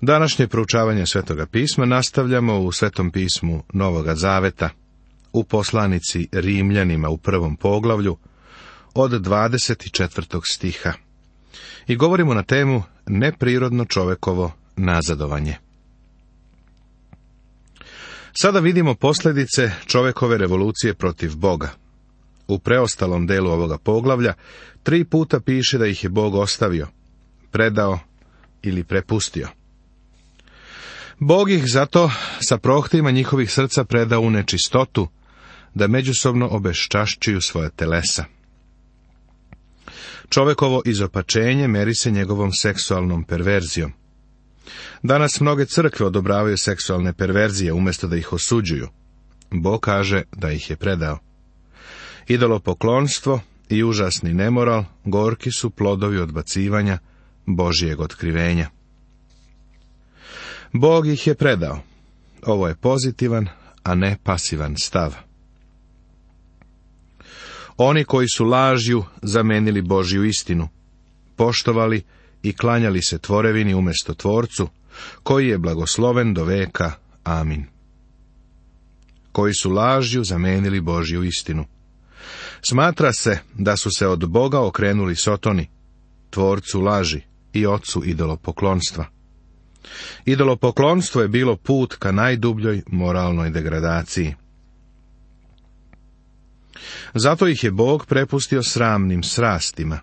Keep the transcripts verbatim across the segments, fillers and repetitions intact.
Današnje proučavanje Svetoga pisma nastavljamo u Svetom pismu Novoga Zaveta, u poslanici Rimljanima u prvom poglavlju, od dvadeset četvrtog stiha. I govorimo na temu neprirodno čovekovo nazadovanje. Sada vidimo posljedice čovekove revolucije protiv Boga. U preostalom delu ovoga poglavlja tri puta piše da ih je Bog ostavio, predao ili prepustio. Bog ih zato sa prohtima njihovih srca predao u nečistotu, da međusobno obeščašćuju svoja telesa. Čovekovo izopačenje meri se njegovom seksualnom perverzijom. Danas mnoge crkve odobravaju seksualne perverzije umjesto da ih osuđuju. Bog kaže da ih je predao. Idolopoklonstvo i užasni nemoral gorki su plodovi odbacivanja Božijeg otkrivenja. Bog ih je predao. Ovo je pozitivan, a ne pasivan stav. Oni koji su lažju zamenili Božju istinu, poštovali i klanjali se tvorevini umjesto Tvorcu, koji je blagosloven do veka. Amin. Koji su lažju zamenili Božju istinu. Smatra se da su se od Boga okrenuli Sotoni, tvorcu laži i ocu idolopoklonstva. Idolopoklonstvo je bilo put ka najdubljoj moralnoj degradaciji. Zato ih je Bog prepustio sramnim srastima.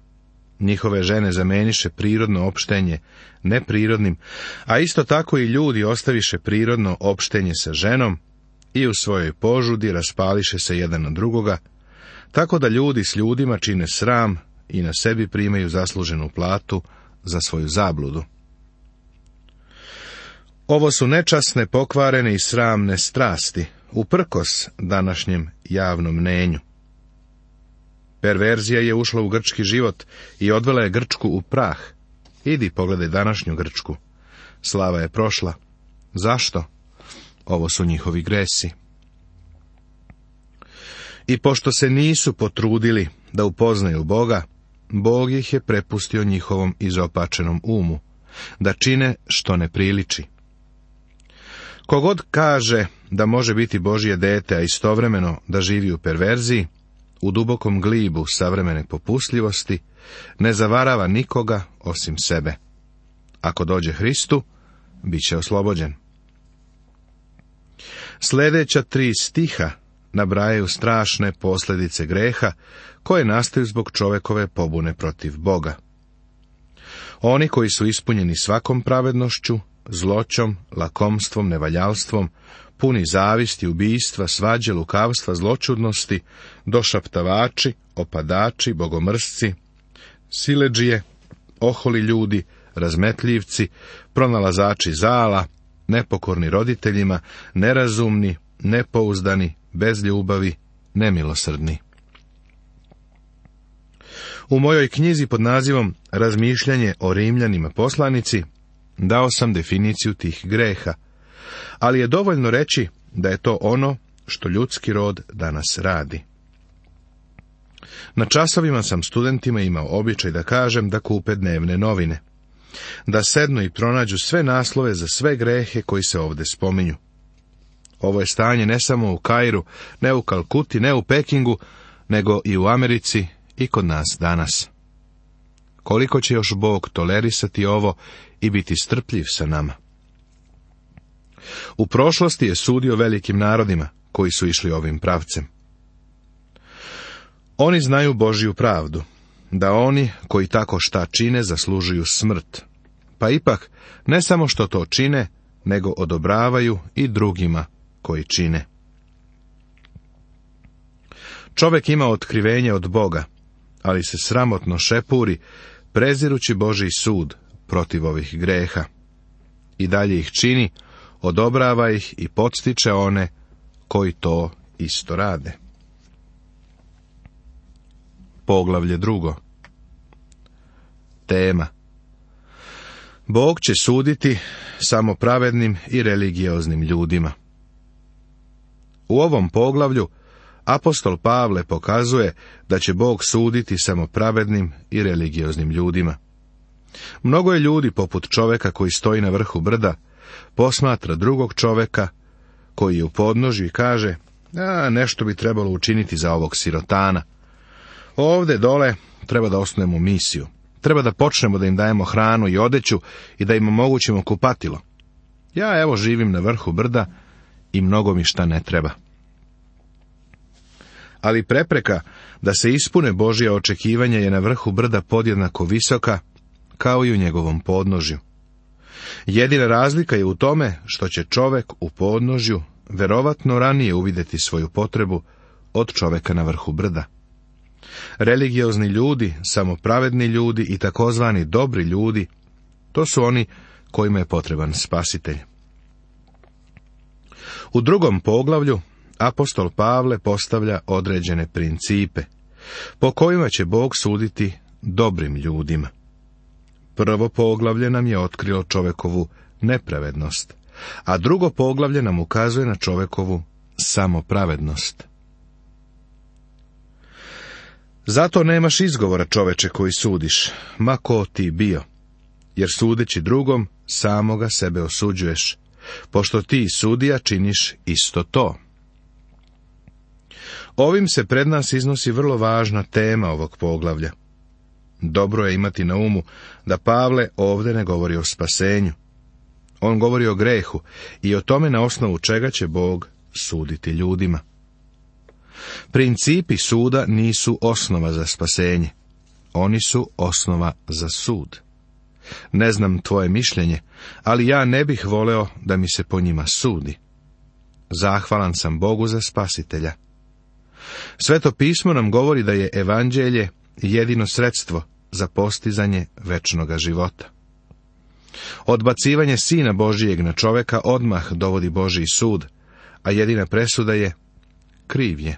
Njihove žene zameniše prirodno opštenje neprirodnim, a isto tako i ljudi ostaviše prirodno opštenje sa ženom i u svojoj požudi raspališe se jedan na drugoga, tako da ljudi s ljudima čine sram i na sebi primaju zasluženu platu za svoju zabludu. Ovo su nečasne, pokvarene i sramne strasti, uprkos današnjem javnom mnenju. Perverzija je ušla u grčki život i odvela je Grčku u prah. Idi, pogledaj današnju Grčku. Slava je prošla. Zašto? Ovo su njihovi gresi. I pošto se nisu potrudili da upoznaju Boga, Bog ih je prepustio njihovom izopačenom umu, da čine što ne priliči. Kogod kaže da može biti Božje dete, a istovremeno da živi u perverziji, u dubokom glibu savremene popustljivosti, ne zavarava nikoga osim sebe. Ako dođe Hristu, bit će oslobođen. Sljedeća tri stiha nabrajaju strašne posljedice greha koje nastaju zbog čovekove pobune protiv Boga. Oni koji su ispunjeni svakom pravednošću, zloćom, lakomstvom, nevaljalstvom, puni zavisti, ubijstva, svađe, lukavstva, zločudnosti, došaptavači, opadači, bogomrsci, siledžije, oholi ljudi, razmetljivci, pronalazači zala, nepokorni roditeljima, nerazumni, nepouzdani, bez ljubavi, nemilosrdni. U mojoj knjizi pod nazivom Razmišljanje o Rimljanima poslanici dao sam definiciju tih greha, ali je dovoljno reći da je to ono što ljudski rod danas radi. Na časovima sam studentima imao običaj da kažem da kupe dnevne novine, da sednu i pronađu sve naslove za sve grehe koji se ovdje spominju. Ovo je stanje ne samo u Kairu, ne u Kalkuti, ne u Pekingu, nego i u Americi i kod nas danas. Koliko će još Bog tolerisati ovo i biti strpljiv sa nama? U prošlosti je sudio velikim narodima koji su išli ovim pravcem. Oni znaju Božju pravdu, da oni koji tako šta čine zaslužuju smrt, pa ipak ne samo što to čine, nego odobravaju i drugima koji čine. Čovjek ima otkrivenje od Boga, ali se sramotno šepuri, prezirući Božji sud protiv ovih greha. I dalje ih čini, odobrava ih i podstiče one koji to isto rade. Poglavlje drugo. Tema. Bog će suditi samo pravednim i religioznim ljudima. U ovom poglavlju apostol Pavle pokazuje da će Bog suditi samo pravednim i religioznim ljudima. Mnogo je ljudi poput čoveka koji stoji na vrhu brda, posmatra drugog čoveka koji je u podnožju i kaže, a, nešto bi trebalo učiniti za ovog sirotana. Ovde dole treba da osnujemo misiju. Treba da počnemo da im dajemo hranu i odeću i da im omogućimo kupatilo. Ja evo živim na vrhu brda i mnogo mi šta ne treba. Ali prepreka da se ispune Božja očekivanja je na vrhu brda podjednako visoka, kao i u njegovom podnožju. Jedina razlika je u tome što će čovek u podnožju verovatno ranije uvideti svoju potrebu od čoveka na vrhu brda. Religiozni ljudi, samopravedni ljudi i takozvani dobri ljudi, to su oni kojima je potreban spasitelj. U drugom poglavlju apostol Pavle postavlja određene principe, po kojima će Bog suditi dobrim ljudima. Prvo poglavlje nam je otkrilo čovekovu nepravednost, a drugo poglavlje nam ukazuje na čovekovu samopravednost. Zato nemaš izgovora, čoveče, koji sudiš, ma ko ti bio, jer sudeći drugom, samoga sebe osuđuješ, pošto ti, sudija, činiš isto to. Ovim se pred nas iznosi vrlo važna tema ovog poglavlja. Dobro je imati na umu da Pavle ovdje ne govori o spasenju. On govori o grehu i o tome na osnovu čega će Bog suditi ljudima. Principi suda nisu osnova za spasenje. Oni su osnova za sud. Ne znam tvoje mišljenje, ali ja ne bih voleo da mi se po njima sudi. Zahvalan sam Bogu za spasitelja. Sveto pismo nam govori da je evanđelje jedino sredstvo za postizanje večnoga života. Odbacivanje Sina Božijeg na čoveka odmah dovodi Božji sud, a jedina presuda je kriv je.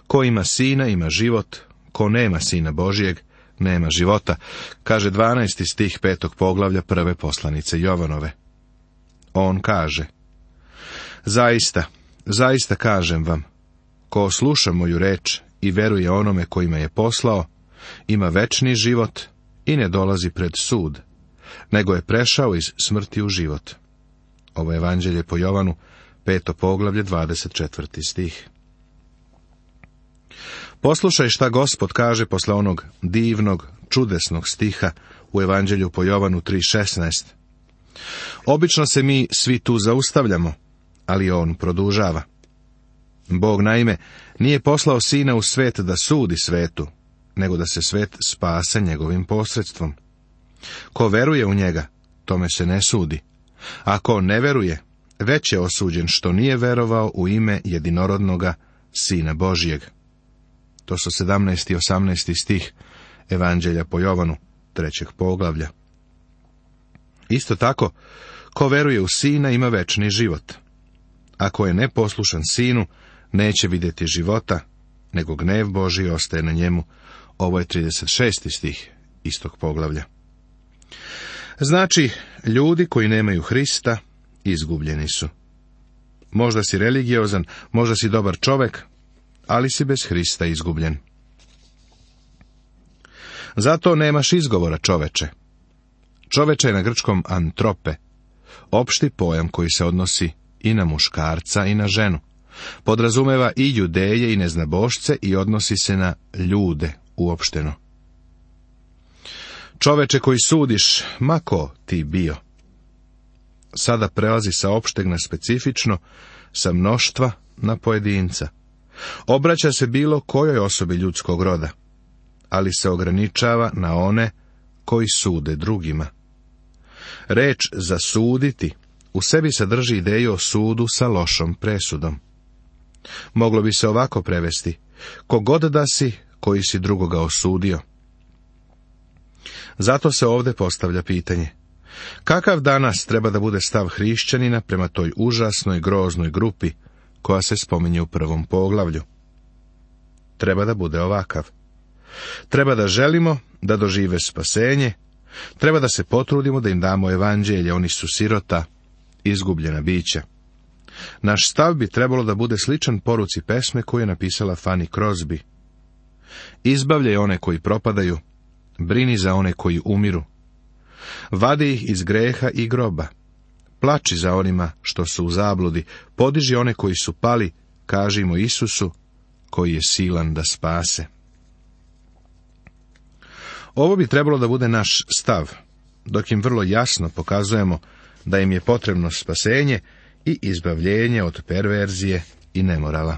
Ko ima Sina, ima život, ko nema Sina Božijeg, nema života, kaže dvanaesti stih petog poglavlja prve poslanice Jovanove. On kaže, zaista, zaista kažem vam, ko sluša moju reč i veruje onome koji me je poslao, ima večni život i ne dolazi pred sud, nego je prešao iz smrti u život. Ovo je evanđelje po Jovanu, peto poglavlje, dvadeset četvrti stih. Poslušaj šta Gospod kaže posle onog divnog, čudesnog stiha u evanđelju po Jovanu tri šesnaest. Obično se mi svi tu zaustavljamo, ali on produžava. Bog naime nije poslao Sina u svet da sudi svetu, nego da se svet spase njegovim posredstvom. Ko veruje u njega, tome se ne sudi. A ko ne veruje, već je osuđen što nije verovao u ime jedinorodnoga Sina Božijeg. To su sedamnaesti i osamnaesti stih evanđelja po Jovanu, trećeg poglavlja. Isto tako, ko veruje u Sina ima večni život. Ako je neposlušan Sinu, neće vidjeti života, nego gnev Božji ostaje na njemu. Ovo je trideset šesti stih istog poglavlja. Znači, ljudi koji nemaju Hrista, izgubljeni su. Možda si religiozan, možda si dobar čovek, ali si bez Hrista izgubljen. Zato nemaš izgovora, čoveče. Čoveče je na grčkom antrope, opšti pojam koji se odnosi i na muškarca i na ženu. Podrazumeva i judeje i neznabošce i odnosi se na ljude uopšteno. Čoveče koji sudiš, ma ko ti bio. Sada prelazi sa opšteg na specifično, sa mnoštva na pojedinca. Obraća se bilo kojoj osobi ljudskog roda, ali se ograničava na one koji sude drugima. Reč zasuditi u sebi sadrži ideju o sudu sa lošom presudom. Moglo bi se ovako prevesti: kogod da si koji si drugoga osudio. Zato se ovdje postavlja pitanje: kakav danas treba da bude stav hrišćanina prema toj užasnoj, groznoj grupi koja se spominje u prvom poglavlju? Treba da bude ovakav. Treba da želimo da dožive spasenje, treba da se potrudimo da im damo evanđelje, oni su sirota, izgubljena bića. Naš stav bi trebalo da bude sličan poruci pesme koju je napisala Fanny Crosby. Izbavljaj one koji propadaju, Brini za one koji umiru. Vadi ih iz greha i groba. Plači za onima što su u zabludi. Podiži one koji su pali. Kažimo Isusu, koji je silan da spase. Ovo bi trebalo da bude naš stav, dok im vrlo jasno pokazujemo da im je potrebno spasenje i izbavljenje od perverzije i nemorala.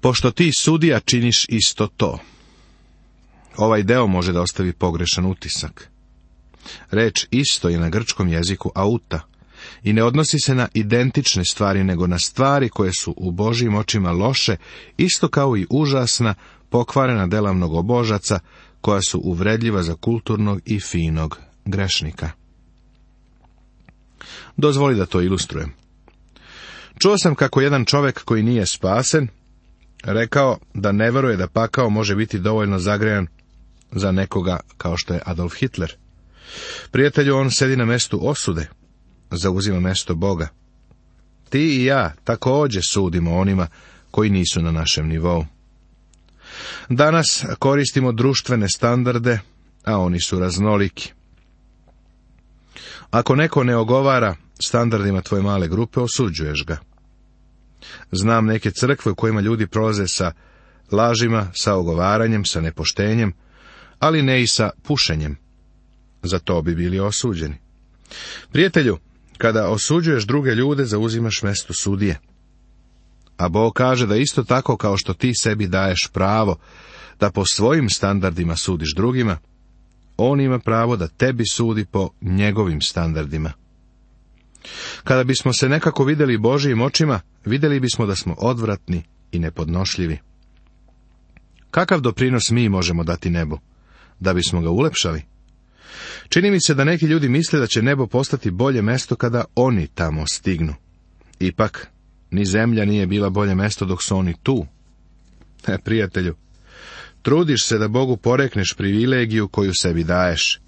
Pošto ti, sudija, činiš isto to. Ovaj deo može da ostavi pogrešan utisak. Reč isto je na grčkom jeziku auta i ne odnosi se na identične stvari, nego na stvari koje su u Božjim očima loše, isto kao i užasna, pokvarena dela mnogobožaca, koja su uvredljiva za kulturnog i finog grešnika. Dozvoli da to ilustrujem. Čuo sam kako jedan čovjek koji nije spasen rekao da ne veruje da pakao može biti dovoljno zagrejan za nekoga kao što je Adolf Hitler. Prijatelju, on sedi na mestu osude, zauzima mesto Boga. Ti i ja također sudimo onima koji nisu na našem nivou. Danas koristimo društvene standarde, a oni su raznoliki. Ako neko ne ogovara standardima tvoje male grupe, osuđuješ ga. Znam neke crkve u kojima ljudi prolaze sa lažima, sa ogovaranjem, sa nepoštenjem, ali ne i sa pušenjem. Za to bi bili osuđeni. Prijatelju, kada osuđuješ druge ljude, zauzimaš mjesto sudije. A Bog kaže da isto tako kao što ti sebi daješ pravo da po svojim standardima sudiš drugima, on ima pravo da tebi sudi po njegovim standardima. Kada bismo se nekako vidjeli Božijim očima, vidjeli bismo da smo odvratni i nepodnošljivi. Kakav doprinos mi možemo dati nebu? Da bismo ga ulepšali? Čini mi se da neki ljudi misle da će nebo postati bolje mesto kada oni tamo stignu. Ipak, ni zemlja nije bila bolje mesto dok su oni tu. E, prijatelju, trudiš se da Bogu porekneš privilegiju koju sebi daješ,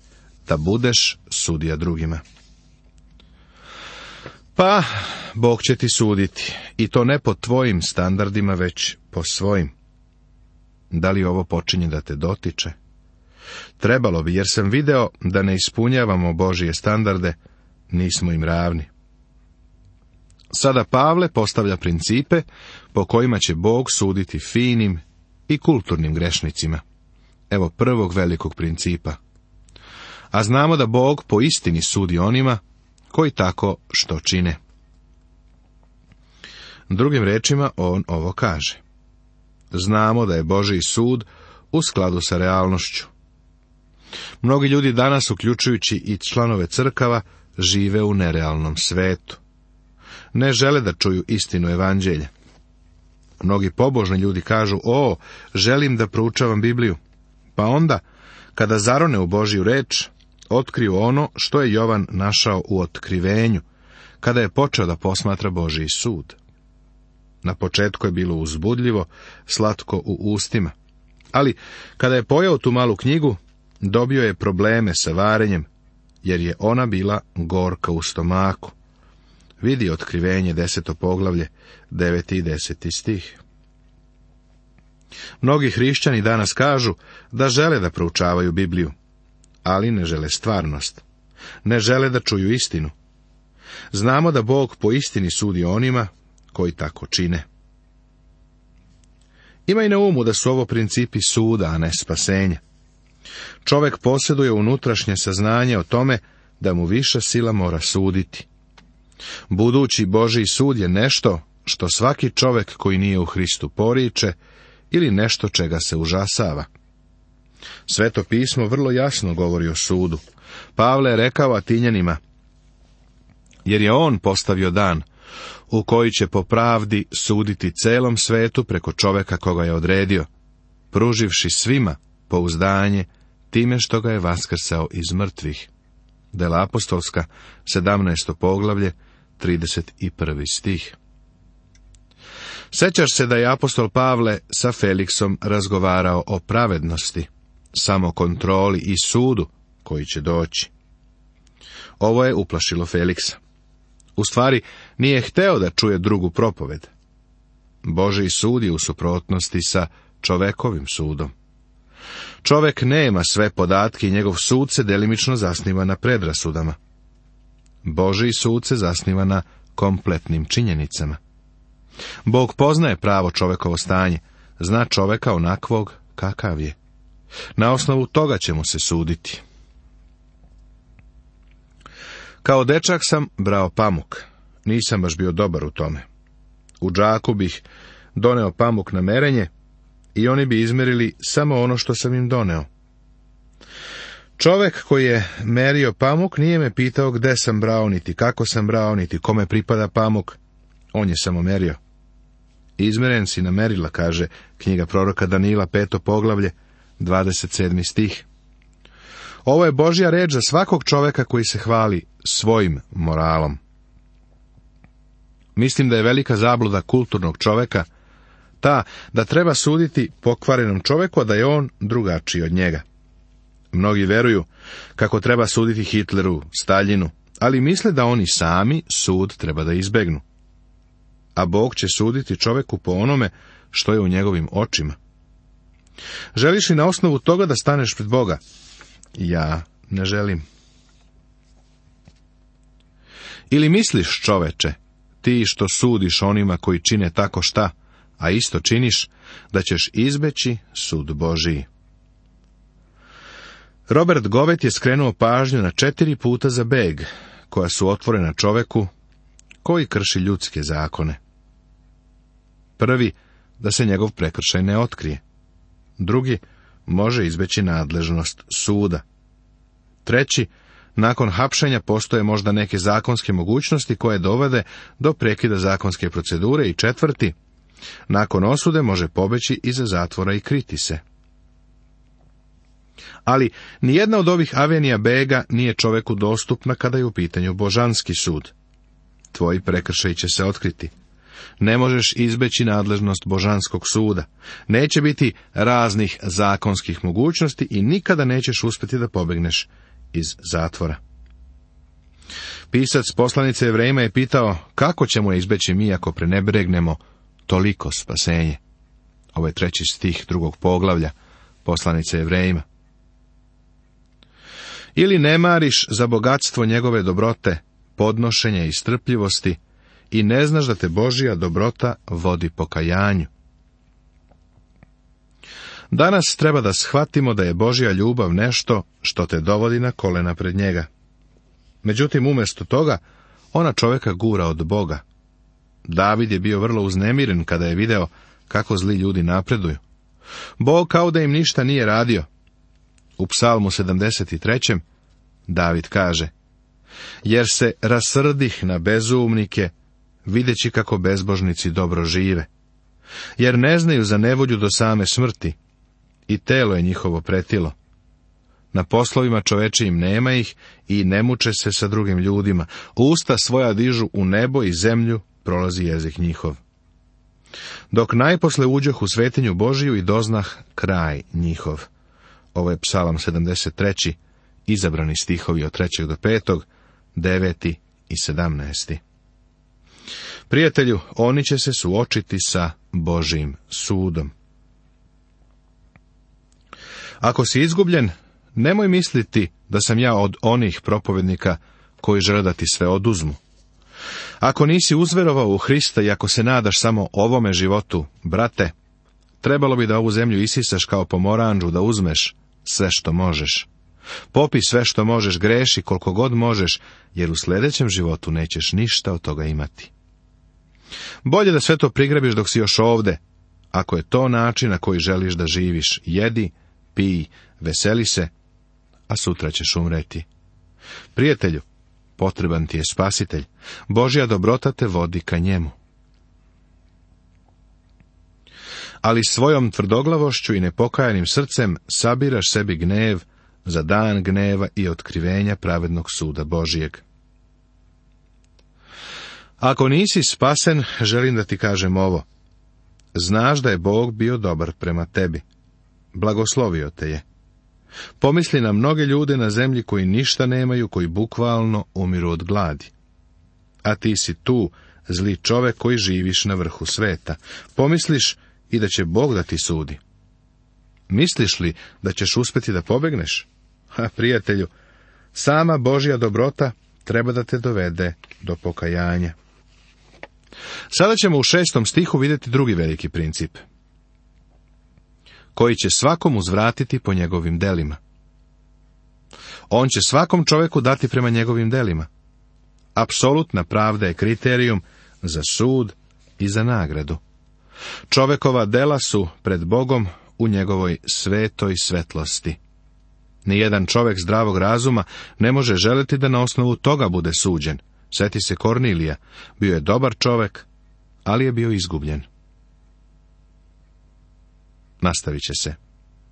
da budeš sudija drugima. Pa, Bog će ti suditi, i to ne po tvojim standardima, već po svojim. Da li ovo počinje da te dotiče? Trebalo bi, jer sam video da ne ispunjavamo Božije standarde, nismo im ravni. Sada Pavle postavlja principe po kojima će Bog suditi finim i kulturnim grešnicima. Evo prvog velikog principa. A znamo da Bog po istini sudi onima koji tako što čine. Drugim rečima on ovo kaže. Znamo da je Božji sud u skladu sa realnošću. Mnogi ljudi danas, uključujući i članove crkava, žive u nerealnom svetu. Ne žele da čuju istinu evanđelja. Mnogi pobožni ljudi kažu, o, želim da proučavam Bibliju. Pa onda, kada zarone u Božju reč, otkriju ono što je Jovan našao u otkrivenju, kada je počeo da posmatra Božji sud. Na početku je bilo uzbudljivo, slatko u ustima. Ali, kada je pojao tu malu knjigu, dobio je probleme sa varenjem, jer je ona bila gorka u stomaku. Vidi otkrivenje, deseto poglavlje, deveti i deseti stih. Mnogi hrišćani danas kažu da žele da proučavaju Bibliju, ali ne žele stvarnost. Ne žele da čuju istinu. Znamo da Bog po istini sudi onima koji tako čine. Imaj na umu da su ovo principi suda, a ne spasenja. Čovjek posjeduje unutrašnje saznanje o tome da mu viša sila mora suditi. Budući Božji sud je nešto što svaki čovjek koji nije u Hristu poriče ili nešto čega se užasava. Sveto pismo vrlo jasno govori o sudu. Pavle je rekao Atinjanima, jer je on postavio dan u koji će po pravdi suditi celom svetu preko čovjeka koga je odredio, pruživši svima pouzdanje time što ga je vaskrsao iz mrtvih. Dela apostolska, sedamnaesto poglavlje, trideset prvi stih. Sećaš se da je apostol Pavle sa Feliksom razgovarao o pravednosti, samokontroli i sudu koji će doći. Ovo je uplašilo Feliksa. U stvari, nije hteo da čuje drugu propoved. Božji sud je u suprotnosti sa čovekovim sudom. Čovek nema sve podatke i njegov sud se delimično zasniva na predrasudama. Božji sud se zasniva na kompletnim činjenicama. Bog poznaje pravo čovekovo stanje, zna čoveka onakvog kakav je. Na osnovu toga će mu se suditi. Kao dečak sam brao pamuk. Nisam baš bio dobar u tome. U džaku bih doneo pamuk na merenje i oni bi izmerili samo ono što sam im doneo. Čovek koji je merio pamuk nije me pitao gde sam brao, niti kako sam brao, niti kome pripada pamuk. On je samo merio. Izmeren si na merila, kaže knjiga proroka Danila, peto poglavlje, dvadeset sedmi stih. Ovo je Božja reč za svakog čoveka koji se hvali svojim moralom. Mislim da je velika zabluda kulturnog čoveka ta da treba suditi pokvarenom čoveku, a da je on drugačiji od njega. Mnogi veruju kako treba suditi Hitleru, Staljinu, ali misle da oni sami sud treba da izbegnu. A Bog će suditi čoveku po onome što je u njegovim očima. Želiš li na osnovu toga da staneš pred Boga? Ja ne želim. Ili misliš, čoveče, ti što sudiš onima koji čine tako šta, a isto činiš, da ćeš izbeći sud Božiji? Robert Govet je skrenuo pažnju na četiri puta za beg, koja su otvorena čoveku koji krši ljudske zakone. Prvi, da se njegov prekršaj ne otkrije. Drugi, može izbeći nadležnost suda. Treći, nakon hapšenja postoje možda neke zakonske mogućnosti koje dovede do prekida zakonske procedure. I četvrti, nakon osude može pobeći iza zatvora i kriti se. Ali nijedna od ovih avenija bega nije čoveku dostupna kada je u pitanju božanski sud. Tvoji prekršaji će se otkriti. Ne možeš izbeći nadležnost božanskog suda. Neće biti raznih zakonskih mogućnosti i nikada nećeš uspjeti da pobegneš iz zatvora. Pisac poslanice Jevrejima je pitao kako ćemo izbeći mi ako prenebregnemo toliko spasenje. Ovo je treći stih drugog poglavlja poslanice Jevrejima. Ili ne mariš za bogatstvo njegove dobrote, podnošenja i strpljivosti i ne znaš da te Božja dobrota vodi pokajanju. Danas treba da shvatimo da je Božja ljubav nešto što te dovodi na kolena pred njega. Međutim, umjesto toga, ona čoveka gura od Boga. David je bio vrlo uznemiren kada je video kako zli ljudi napreduju. Bog kao da im ništa nije radio. U Psalmu sedamdeset trećem David kaže: jer se rasrdih na bezumnike, videći kako bezbožnici dobro žive. Jer ne znaju za nevolju do same smrti, i telo je njihovo pretilo. Na poslovima čovečijim nema ih i ne muče se sa drugim ljudima. Usta svoja dižu u nebo i zemlju, prolazi jezik njihov. Dok najposle uđoh u svetinju Božiju i doznah kraj njihov. Ovo je Psalam sedamdeset treći, izabrani stihovi od trećeg do petog, deveti i sedamnaesti. Prijatelju, oni će se suočiti sa Božjim sudom. Ako si izgubljen, nemoj misliti da sam ja od onih propovednika koji žele da ti sve oduzmu. Ako nisi uzverovao u Hrista i ako se nadaš samo ovome životu, brate, trebalo bi da ovu zemlju isisaš kao pomoranđu, da uzmeš sve što možeš. Popi sve što možeš, greši koliko god možeš, jer u sljedećem životu nećeš ništa od toga imati. Bolje da sve to prigrabiš dok si još ovde, ako je to način na koji želiš da živiš. Jedi, pij, veseli se, a sutra ćeš umreti. Prijatelju, potreban ti je spasitelj. Božja dobrota te vodi ka njemu. Ali svojom tvrdoglavošću i nepokajanim srcem sabiraš sebi gnev za dan gneva i otkrivenja pravednog suda Božijeg. Ako nisi spasen, želim da ti kažem ovo. Znaš da je Bog bio dobar prema tebi. Blagoslovio te je. Pomisli na mnoge ljude na zemlji koji ništa nemaju, koji bukvalno umiru od gladi. A ti si tu, zli čovek koji živiš na vrhu sveta. Pomisliš i da će Bog da ti sudi. Misliš li da ćeš uspjeti da pobegneš? Ha, prijatelju, sama Božja dobrota treba da te dovede do pokajanja. Sada ćemo u šestom stihu vidjeti drugi veliki princip, koji će svakom uzvratiti po njegovim delima. On će svakom čovjeku dati prema njegovim delima. Apsolutna pravda je kriterijum za sud i za nagradu. Čovjekova dela su pred Bogom u njegovoj svetoj svetlosti. Nijedan čovjek zdravog razuma ne može želiti da na osnovu toga bude suđen. Sjeti se Kornilija, bio je dobar čovjek, ali je bio izgubljen. Nastavit će se.